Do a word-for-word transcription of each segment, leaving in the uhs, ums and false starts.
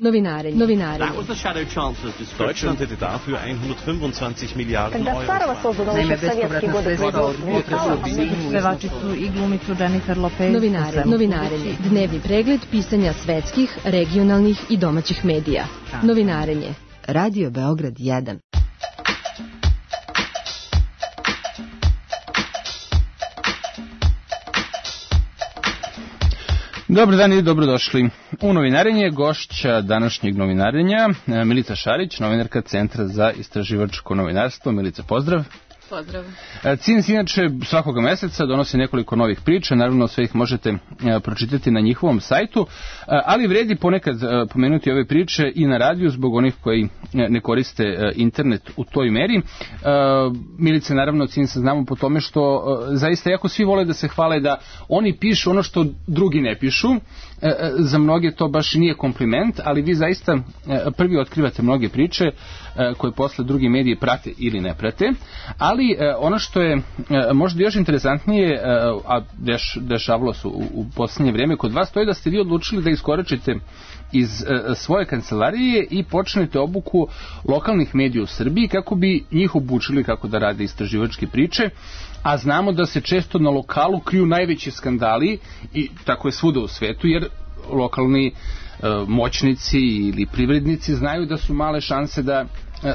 Novinarenje. Novinarenje. Deutschland hätte dafür hundertfünfundzwanzig Milliarden Euro. Naime, bespovratna sredstva od pevačicu i glumicu Jennifer Lopez. Novinarenje. Novinarenje. Dnevni pregled pisanja svetskih, regionalnih i domaćih medija. Novinarenje. Radio Beograd jedan. Dobar dan i dobrodošli u Novinarenje. Gošća današnjeg Novinarenja Milica Šarić, novinarka Centra za istraživačko novinarstvo. Milica, pozdrav. Pozdrav. C I N S inače svakoga meseca donosi nekoliko novih priča, naravno sve ih možete pročitati na njihovom sajtu, ali vredi ponekad pomenuti ove priče i na radiju zbog onih koji ne koriste internet u toj meri. Milice, naravno, C I N S znamo po tome što zaista jako svi vole da se hvale da oni pišu ono što drugi ne pišu. Za mnoge to baš nije kompliment, ali vi zaista prvi otkrivate mnoge priče koje posle drugi mediji prate ili ne prate, ali ono što je možda još interesantnije, a deš, dešavalo se u, u posljednje vrijeme kod vas, to je da ste vi odlučili da iskoračite iz svoje kancelarije i počnete obuku lokalnih medija u Srbiji kako bi njih obučili kako da rade istraživačke priče, a znamo da se često na lokalu kriju najveći skandali i tako je svuda u svetu, jer lokalni moćnici ili privrednici znaju da su male šanse da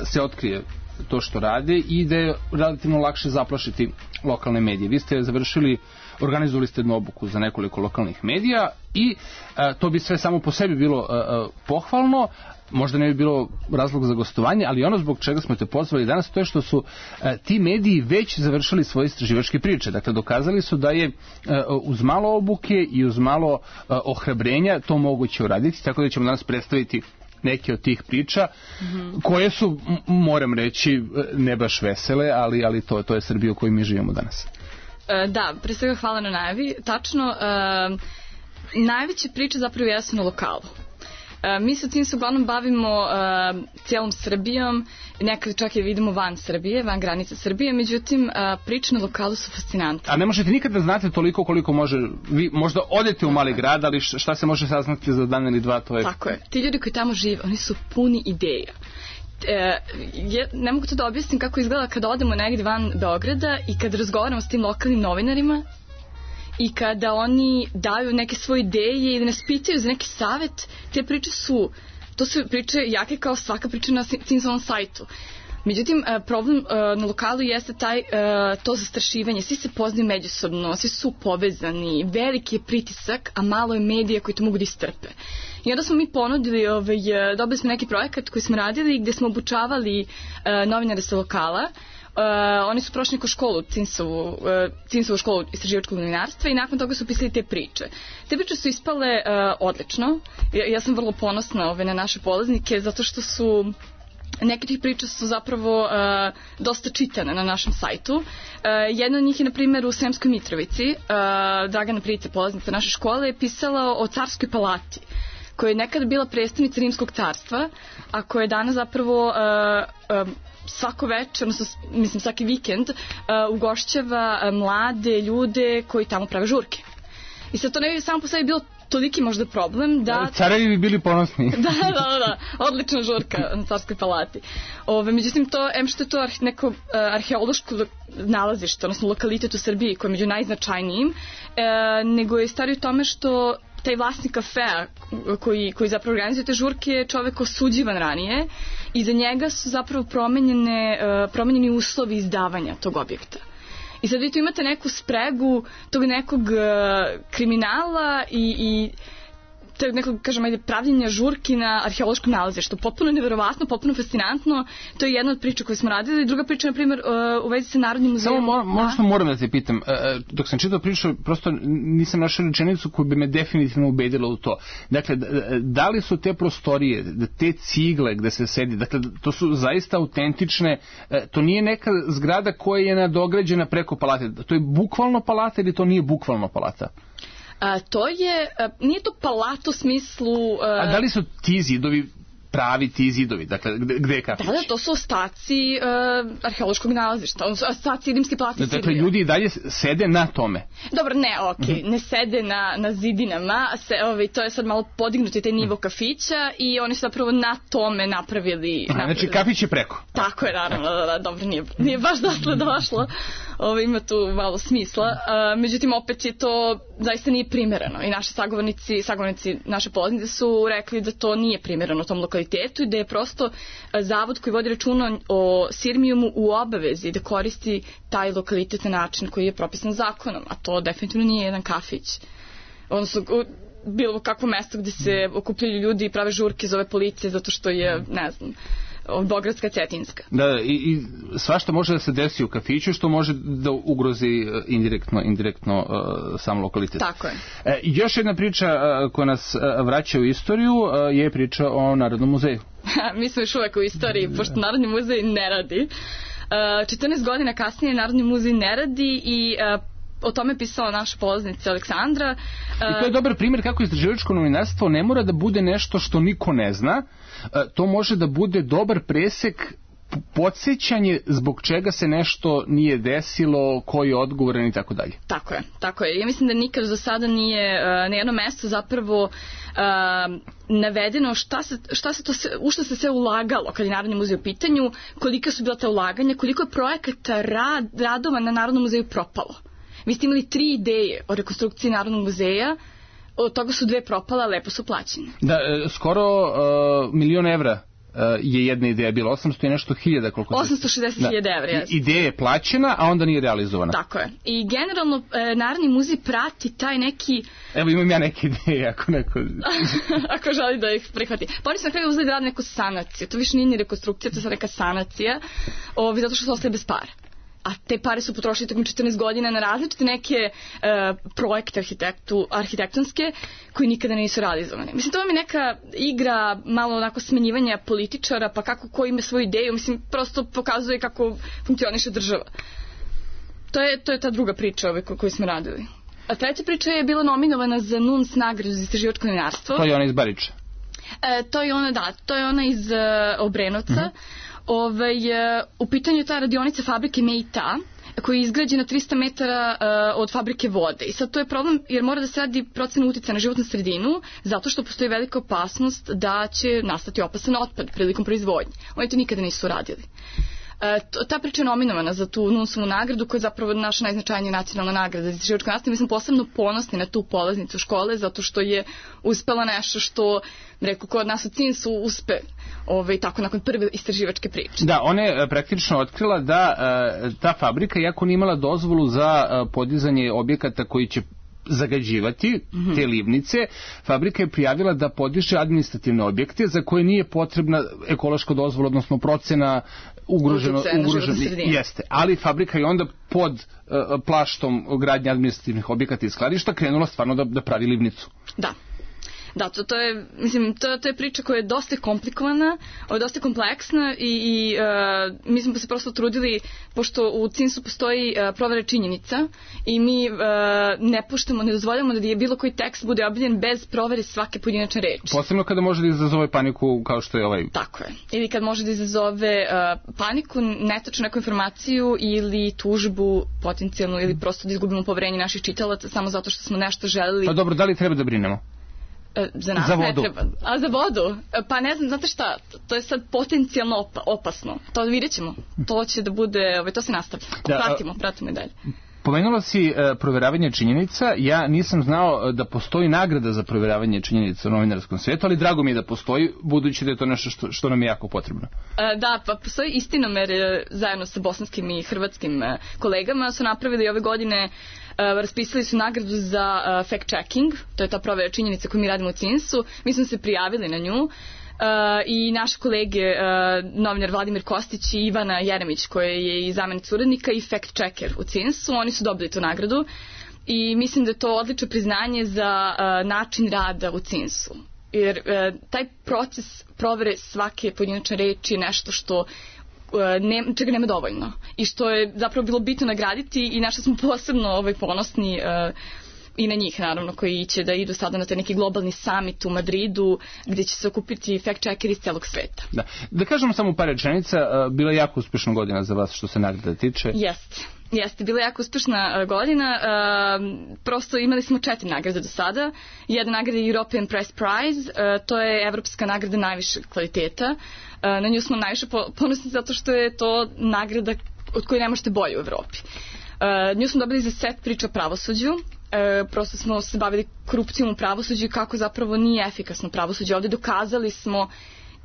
se otkrije to što rade i da je relativno lakše zaplašiti lokalne medije. Vi ste završili, organizovali ste jednu obuku za nekoliko lokalnih medija i a, to bi sve samo po sebi bilo a, a, pohvalno, možda ne bi bilo razlog za gostovanje, ali ono zbog čega smo te pozvali danas, to je što su a, ti mediji već završili svoje istraživačke priče. Dakle, dokazali su da je a, uz malo obuke i uz malo a, ohrabrenja to moguće uraditi, tako da ćemo danas predstaviti neke od tih priča, mm-hmm. koje su, moram reći, ne baš vesele, ali, ali to, to je Srbija u kojoj mi živimo danas. E, da, pre svega hvala na najavi. Tačno, e, najveće priče zapravo jesu na lokalu. E, mi se tim se uglavnom bavimo e, cijelom Srbijom, nekad čak i vidimo van Srbije, van granice Srbije, međutim e, priče na lokalu su fascinantne. A ne možete nikad da znate toliko koliko može, vi možda odete u mali grad, ali šta se može saznati za dan ili dva, to je... Tako je, ti ljudi koji tamo žive, oni su puni ideja. E, je, ne mogu to da objasnim kako izgleda kada odemo negdje van Beograda i kad razgovaramo s tim lokalnim novinarima i kada oni daju neke svoje ideje ili nas pitaju za neki savjet, te priče su, to su priče jake kao svaka priča na C I N S-ovom sajtu. Međutim, problem na lokalu jeste taj, to zastrašivanje. Svi se poznaju međusobno, svi su povezani, veliki je pritisak, a malo je medija koji to mogu da istrpe. I onda smo mi ponudili, ovaj, dobili smo neki projekat koji smo radili gdje smo obučavali novinare sa lokala. Uh, oni su prošli neku školu, C I N S-ovu, uh, C I N S-ovu školu istraživačkog novinarstva i nakon toga su pisali te priče. Te priče su ispale uh, odlično. Ja, ja sam vrlo ponosna ove, na naše polaznike zato što su neke tih priča su zapravo uh, dosta čitane na našem sajtu. Uh, jedna od njih je, na primjer, u Sremskoj Mitrovici. Uh, Dragana Price, polaznica naše škole, je pisala o Carskoj palati, koja je nekada bila predstavnica Rimskog carstva, a koja je danas zapravo uh, um, svako večer, odnosno, mislim svaki vikend, uh, ugošćava uh, mlade ljude koji tamo prave žurke. I sad to ne bi samo po sebi bilo toliki možda problem da... Carevi bi bili ponosni. da, da, da, odlična žurka na Carskoj palati. Ove, međutim, to, em što je to arhe, neko uh, arheološko nalazište, odnosno lokalitet u Srbiji koji je među najznačajnijim, uh, nego je stvari u tome što taj vlasnik kafea koji, koji zapravo organizuje te žurke je čovek osuđivan ranije i za njega su zapravo promenjene, uh, promenjeni uslovi izdavanja tog objekta. I sad vi tu imate neku spregu tog nekog uh, kriminala i, i tog nekog, kažem, ajde, pravljenja žurki na arheološkom nalazištu. Potpuno neverovatno, potpuno fascinantno. To je jedna od priča koju smo radili. Druga priča, na primjer, uh, u vezi sa Narodnim muzejom. Samo mo- možda moram da te pitam. Uh, dok sam čitao priču, prosto nisam našao rečenicu koju bi me definitivno ubedila u to. Dakle, da li su te prostorije, te cigle gde se sedi, dakle, to su zaista autentične, uh, to nije neka zgrada koja je nadograđena preko palate. To je bukvalno palata ili to nije bukvalno palata? A, to je, a, nije to palata u smislu... A, a da li su ti zidovi pravi ti zidovi? Dakle, gde, gde je kafić? Da, da, to su ostaci uh, arheološkog nalazišta, ostaci rimske plati Sirija. Dakle, ljudi i dalje sede na tome. Dobro, ne, okej, okay. mm-hmm. ne sede na, na zidinama, se, ovaj, to je sad malo podignuti taj nivo kafića i oni su zapravo na tome napravili... Aha, napravili. Znači, kafić je preko. Tako je, naravno, da, da, dobro, nije, nije baš dotle došlo, ovaj, ima tu malo smisla, uh, međutim, opet je to, zaista nije primereno i naši sagovornici, sagovornici naše polaznice su rekli da to nije primereno tom lokalitetu i da je prosto zavod koji vodi računa o Sirmijumu u obavezi da koristi taj lokalitet na način koji je propisan zakonom, a to definitivno nije jedan kafić. Odnosno, bilo kakvo mesto gde se okupljaju ljudi i prave žurke zove policije zato što je, ne znam, Beogradska Cetinjska. Da, i, i svašta može da se desi u kafiću što može da ugrozi indirektno, indirektno uh, sam lokalitet. Tako je. E, još jedna priča uh, koja nas uh, vraća u istoriju uh, je priča o Narodnom muzeju. Mi smo još uvek u istoriji, pošto Narodni muzej ne radi. Uh, četrnaest godina kasnije Narodni muzej ne radi i uh, o tome je pisala naša polaznica Aleksandra. I to je dobar primjer kako istraživačko novinarstvo ne mora da bude nešto što niko ne zna, to može da bude dobar presek, podsjećanje zbog čega se nešto nije desilo, koji je odgovoran i tako dalje. Tako je, tako je. Ja mislim da nikad do sada nije uh, na jedno mesto zapravo uh, navedeno šta se, šta se to se, u šta se sve ulagalo kad je Narodni muzej u pitanju, kolika su bila ta ulaganja, koliko je projekata rad, radova na Narodnom muzeju propalo. Vi ste imali tri ideje o rekonstrukciji Narodnog muzeja, od toga su dve propala, lepo su plaćene. Da, skoro uh, milion evra uh, je jedna ideja bila, osamsto i nešto hiljada. Koliko osamsto šezdeset hiljada evra, jesno. Ideja je plaćena, a onda nije realizovana. Tako je. I generalno uh, Narodni muzej prati taj neki... Evo imam ja neke ideje, ako neko... ako želi da ih prihvati. Pa oni su na kraju uzeli da rade neku sanaciju. To više nije ni rekonstrukcija, to je sad neka sanacija, ovi, zato što su ostali bez para. A te pare su potrošili tokom četrnaest godina na različite neke uh, projekte arhitektu, arhitektonske koji nikada nisu realizovane. Mislim, to vam je neka igra malo onako smenjivanja političara, pa kako ko ima svoju ideju, mislim, prosto pokazuje kako funkcioniše država. To je, to je ta druga priča ove koju smo radili. A treća priča je bila nominovana za N U N S nagradu za istraživačko novinarstvo. To je ona iz Bariča. E, to je ona, da, to je ona iz uh, Obrenovca. Mm-hmm. Ove, u pitanju je ta radionica fabrike Meita koja je izgrađena tristo metara uh, od fabrike vode. I sad to je problem jer mora da se radi procena uticaja na životnu sredinu zato što postoji velika opasnost da će nastati opasan otpad prilikom proizvodnje. Oni to nikada nisu radili. E, to, ta priča je nominovana za tu N U N S-ovu nagradu koja je zapravo naša najznačajnija nacionalna nagrada za istraživačko nastavljanje. Mi smo posebno ponosni na tu polaznicu škole zato što je uspela nešto što, rekao, kod nas u C I N S-u uspe ovaj, tako nakon prve istraživačke priče. Da, ona je praktično otkrila da e, ta fabrika, iako nije imala dozvolu za e, podizanje objekata koji će zagađivati mm-hmm. te livnice, fabrika je prijavila da podiže administrativne objekte za koje nije potrebna ekološka dozvola, odnosno procena ugroženo, ugroženo jeste. Ali fabrika je onda pod uh, plaštom gradnje administrativnih objekata i skladišta krenula stvarno da, da pravi livnicu. Da. Da, to, to je, mislim, to, to je priča koja je dosta komplikovana, dosta kompleksna i, i uh, mi smo se prosto trudili, pošto u C I N S-u postoji uh, provera činjenica i mi uh, ne puštamo, ne dozvoljamo da je bilo koji tekst bude objavljen bez provere svake pojedinačne reči. Posebno kada može da izazove paniku kao što je ovaj... Tako je. Ili kad može da izazove uh, paniku, netačnu neku informaciju ili tužbu potencijalnu ili prosto da izgubimo poverenje naših čitalaca samo zato što smo nešto želeli... Pa dobro, da li treba da brinemo? Za nas za ne treba. A za vodu? Pa ne znam, znate šta, to je sad potencijalno opa, opasno. To vidjet ćemo. To će da bude, ovaj, to se nastavlja. Da, pratimo, pratimo i dalje. Pomenula si uh, provjeravanje činjenica. Ja nisam znao da postoji nagrada za provjeravanje činjenica u novinarskom svijetu, ali drago mi je da postoji, budući da je to nešto što, što nam je jako potrebno. Uh, da, pa postoji Istinomer zajedno sa bosanskim i hrvatskim uh, kolegama su napravili ove godine. Uh, raspisali su nagradu za uh, fact-checking, to je ta provjera činjenica koju mi radimo u C I N S-u. Mi smo se prijavili na nju uh, i naše kolege, uh, novinar Vladimir Kostić i Ivana Jeremić, koja je i zamjenica urednika i fact-checker u C I N S-u, oni su dobili tu nagradu i mislim da je to odlično priznanje za uh, način rada u C I N S-u. Jer uh, taj proces provere svake pojedinačne reči je nešto što Ne, čega nema dovoljno i što je zapravo bilo bitno nagraditi i na što smo posebno ovaj, ponosni uh, i na njih naravno koji će da idu sada na taj neki globalni summit u Madridu gdje će se okupiti fact-checkeri iz celog sveta. Da, da kažemo samo par rečenica, bila je jako uspešna godina za vas što se nagrada tiče. Jeste. Jeste, bila je jako uspešna godina, uh, prosto imali smo četiri nagrade do sada. Jedna nagrada je European Press Prize, uh, to je evropska nagrada najvišeg kvaliteta. Uh, na nju smo najviše ponosni zato što je to nagrada od koje ne možete bolje u Evropi. Uh, nju smo dobili za set priča o pravosuđu. Uh, prosto smo se bavili korupcijom u pravosuđu i kako zapravo nije efikasno pravosuđe. Ovdje dokazali smo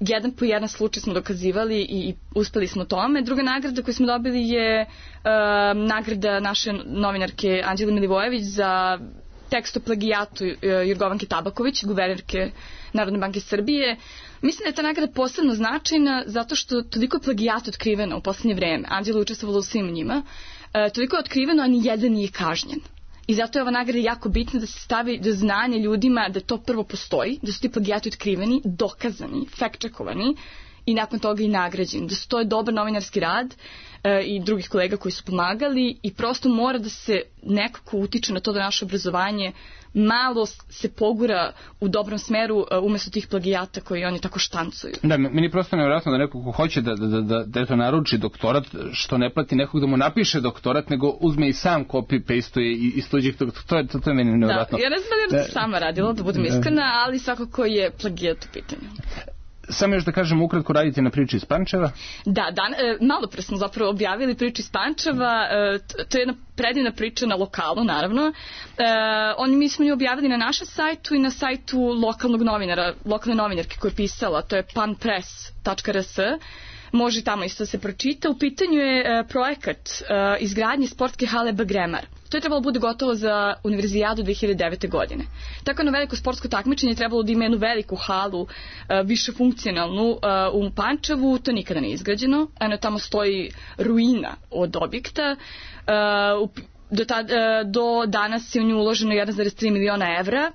jedan po jedan slučaj smo dokazivali i, i uspeli smo tome. Druga nagrada koju smo dobili je uh, nagrada naše novinarke Anđele Milivojević za tekst o plagijatu uh, Jorgovanke Tabaković, guvernerke Narodne banke Srbije. Mislim da je ta nagrada posebno značajna zato što toliko je plagijata otkriveno u poslednje vreme. Anđela je učestvovala u svim njima. Uh, toliko je otkriveno, a ni jedan nije kažnjen. I zato je ova nagrada jako bitna da se stavi do znanja ljudima da to prvo postoji, da su ti plagijati otkriveni, dokazani, fact-checkovani i nakon toga i nagrađeni. Da su to je dobar novinarski rad e, i drugih kolega koji su pomagali i prosto mora da se nekako utiče na to da naše obrazovanje malo se pogura u dobrom smeru umjesto tih plagijata koji oni tako štancuju. Da, meni je prosto nevjerojatno da neko ko hoće da, da, da, da to naruči doktorat, što ne plati nekog da mu napiše doktorat, nego uzme i sam copy-pasteuje iz tuđih, to, to, je, to, to je meni nevjerojatno. Da, ja ne znam da je to sama radila, da budem iskrena, ali svakako je plagijat u pitanju. Samo još da kažem, ukratko radite na priči iz Pančeva? Da, dan, e, malo pre smo zapravo objavili priču iz Pančeva, e, to je jedna predivna priča na lokalu, naravno. E, on, mi smo nju objavili na našem sajtu i na sajtu lokalnog novinara, lokalne novinarke koja je pisala, to je panpress tačka r s. Može tamo isto da se pročita. U pitanju je e, projekat e, izgradnje sportske hale Bagremar. To je trebalo bude gotovo za univerzijadu dve hiljade devete. godine. Tako jedno veliko sportsko takmičenje je trebalo da ima jednu veliku halu, e, više funkcionalnu e, u Pančevu. To nikada nije izgrađeno. Eno, tamo stoji ruina od objekta. E, u, do, tad, e, do danas je u nju uloženo jedan zarez tri miliona evra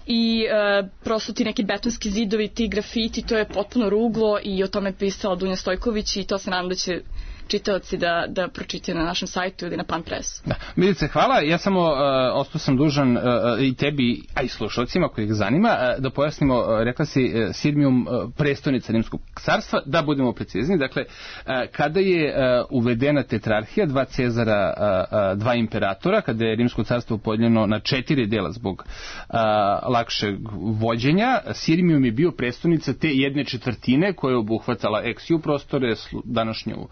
i e, prosto ti neki betonski zidovi, ti grafiti, to je potpuno ruglo i o tome je pisala Dunja Stojković i to se nadam da će čitaoci da, da pročitaju na našem sajtu ili na Panpressu. Da. Milice, hvala. Ja samo uh, ostao sam dužan uh, i tebi, a i slušalcima kojih zanima, uh, da pojasnimo, uh, rekla si uh, Sirmium uh, prestolnica Rimskog carstva, da budemo precizni. Dakle, uh, kada je uh, uvedena tetrarhija, dva Cezara, uh, uh, dva imperatora, kada je Rimsko carstvo podijeljeno na četiri dela zbog uh, lakšeg vođenja, Sirmium je bio prestolnica te jedne četvrtine koja je obuhvatala ex-ju prostore, današnju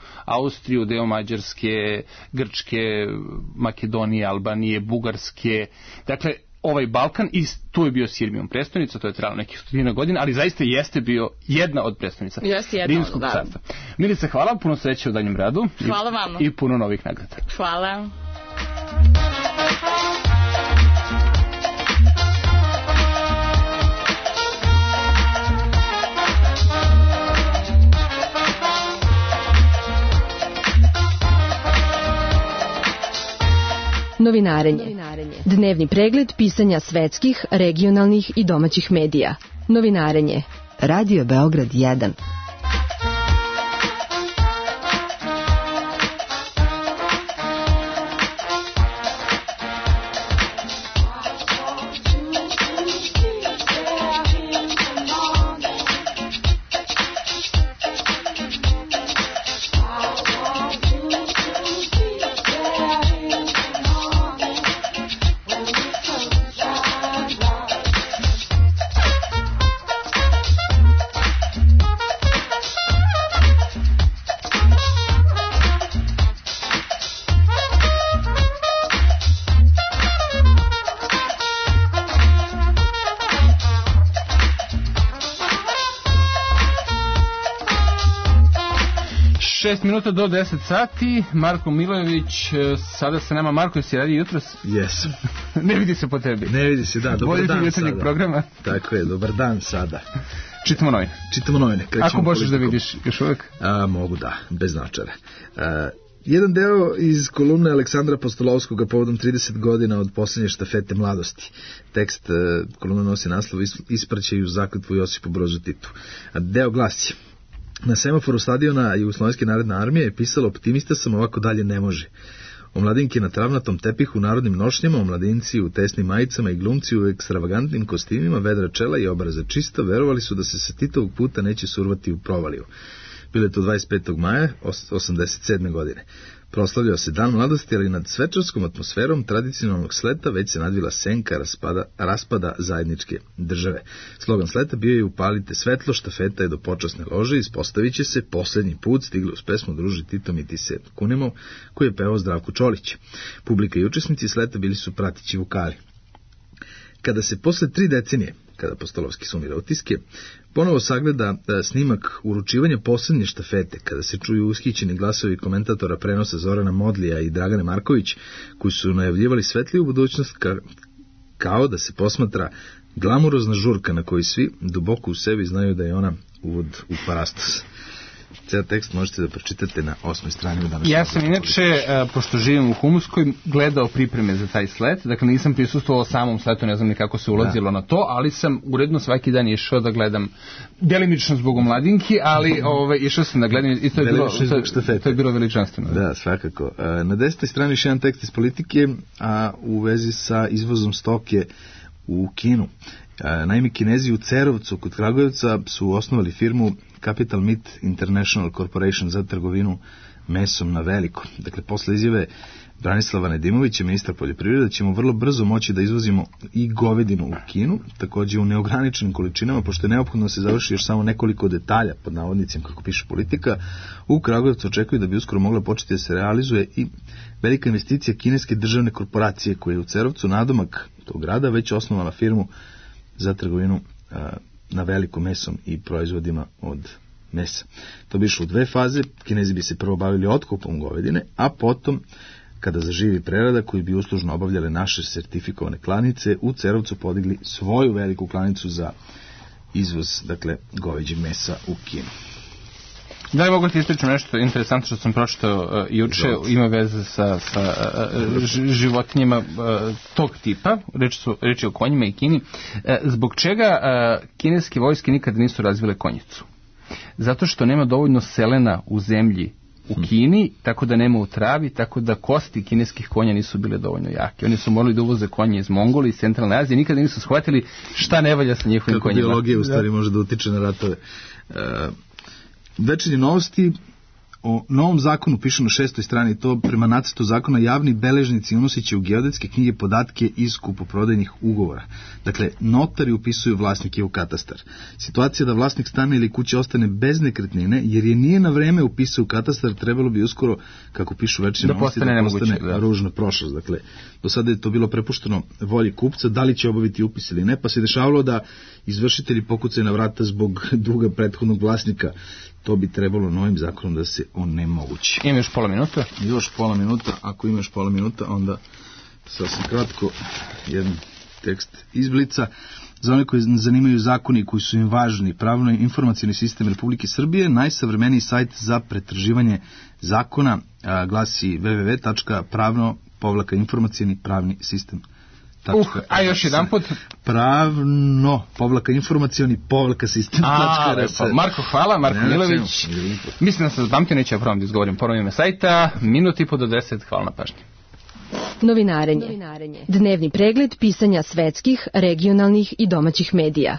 Austriju, deo Mađarske, Grčke, Makedonije, Albanije, Bugarske. Dakle, ovaj Balkan, i tu je bio Sirmium prestolnica, to je trajalo nekih stotina godina, ali zaista jeste bio jedna od prestolnica Rimskog carstva. Milice, hvala, puno sreće u daljem radu. Hvala vama. I puno novih nagrada. Hvala. Novinarenje. Dnevni pregled pisanja svetskih, regionalnih i domaćih medija. Novinarenje. Radio Beograd jedan. šest minuta do deset sati, Marko Milojević, sada sa nama. Marko, jesi radio jutros? Jesam. Ne vidi se po tebi. Ne vidi se, da, dobar dan jutarnjeg programa. Tako je, dobar dan sada. Čitamo novine. Čitamo novine. Ako možeš da vidiš još uvijek? A, mogu, da, bez značare. A, jedan deo iz kolumne Aleksandra Postolovskoga povodom trideset godina od posljednje štafete mladosti. Tekst kolumne nosi naslov Ispraćaju zakletvu Josipu Brozu Titu. A deo glasi: na semaforu stadiona Jugoslovenske narodne armije je pisalo: optimista sam, ovako dalje ne može. Omladinke na travnatom tepihu u narodnim nošnjama, omladinci u tesnim majicama i glumci u ekstravagantnim kostimima, vedra čela i obraza čista, verovali su da se sa Titovog puta neće survati u provaliju. Bilo je to dvadeset petog maja osamdeset sedme godine. Proslavljao se dan mladosti, ali nad svečarskom atmosferom tradicionalnog sleta već se nadvila senka raspada, raspada zajedničke države. Slogan sleta bio je upalite svetlo, štafeta je do počasne lože, ispostavit će se posljednji put, stigli uz pesmu Druži Tito mi ti se kunemo, koji je pevao Zdravko Čolić. Publika i učesnici sleta bili su pratići vokali. Kada se posle tri decenije, kada Postolovski sumira utiske, ponovo sagleda snimak uručivanja posljednje štafete, kada se čuju ushićeni glasovi komentatora prenosa Zorana Modlija i Dragane Marković, koji su najavljivali svetliju budućnost ka, kao da se posmatra glamurozna žurka na kojoj svi duboko u sebi znaju da je ona uvod u parastos. Cijel tekst možete da pročitate na osmoj strani u današnjem. Ja sam inače, pošto živim u Humuskoj, gledao pripreme za taj slet, dakle nisam prisustvovao samom sletu, ne znam ni kako se ulazilo da. na to, ali sam uredno svaki dan išao da gledam, delimično zbog omladinki, ali ovaj, išao sam da gledam i to je bilo, to, to je bilo veličanstveno. Da, svakako. Na desetoj strani još jedan tekst iz politike, a u vezi sa izvozom stoke u Kinu. Naime, Kinezi u Cerovcu kod Kragujevca su osnovali firmu Capital Meat International Corporation za trgovinu mesom na veliko. Dakle, posle izjave Branislava Nedimovića, ministra poljoprivrede, ćemo vrlo brzo moći da izvozimo i govedinu u Kinu, također u neograničenim količinama, pošto je neophodno da se završi još samo nekoliko detalja, pod navodnicima, kako piše politika. U Kragujevcu očekuju da bi uskoro mogla početi da se realizuje i velika investicija kineske državne korporacije, koja je u Cerovcu, nadomak tog grada, već osnovala firmu za trgovinu a, na veliko mesom i proizvodima od mesa. To bi išlo u dve faze. Kinezi bi se prvo bavili otkupom govedine, a potom, kada zaživi prerada koju bi uslužno obavljale naše sertifikovane klanice, u Cerovcu podigli svoju veliku klanicu za izvoz, dakle, goveđeg mesa u Kinu. Da li mogu ti ispričati nešto interesantno što sam pročitao uh, juče, ima veze sa, sa uh, životinjama uh, tog tipa, reč, su, reč je o konjima i Kini. Uh, zbog čega uh, kineske vojske nikada nisu razvile konjicu? Zato što nema dovoljno selena u zemlji u Kini, tako da nema u travi, tako da kosti kineskih konja nisu bile dovoljno jake. Oni su morali da uvoze konje iz Mongolije, iz Centralne Azije, nikada nisu shvatili šta ne valja sa njihovim konjima. Kako biologija u stvari može da utiče na ratove. Uh, Večernje novosti o novom zakonu piše na šestoj strani. To prema nacrtu zakona javni beležnici unosit će u geodetske knjige podatke iz kupoprodajnih ugovora. Dakle, notari upisuju vlasnike u katastar. Situacija da vlasnik stana ili kuće ostane bez nekretnine, jer je nije na vreme upisao u katastar, trebalo bi uskoro, kako pišu večernje da novosti, postane da postane nemoguće, da. ružna prošlost. Dakle, do sada je to bilo prepušteno volji kupca, da li će obaviti upis ili ne, pa se dešavalo da izvršitelji pokucaju na vrata zbog duga prethodnog vlasnika. To bi trebalo novim zakonom da se onemogući. Ima još pola minuta? Još pola minuta. Ako imaš pola minuta, onda sasvim kratko jedan tekst iz Blica. Za one koji zanimaju zakoni koji su im važni, pravno informacijni sistem Republike Srbije, najsavremeniji sajt za pretraživanje zakona a, glasi w w w tačka pravno povlaka informacijni pravni sistem. Uh, a još jedan put? Pravno, povlaka informacijoni, povlaka sistem. A, lepo. Marko, hvala, Marko ne, Milović. Mislim da sam zapamtio, neće ja prvom da izgovorim ponovno ime sajta. Minut i po do deset, hvala na pažnji. Novinarenje. Novinarenje. Dnevni pregled pisanja svetskih, regionalnih i domaćih medija.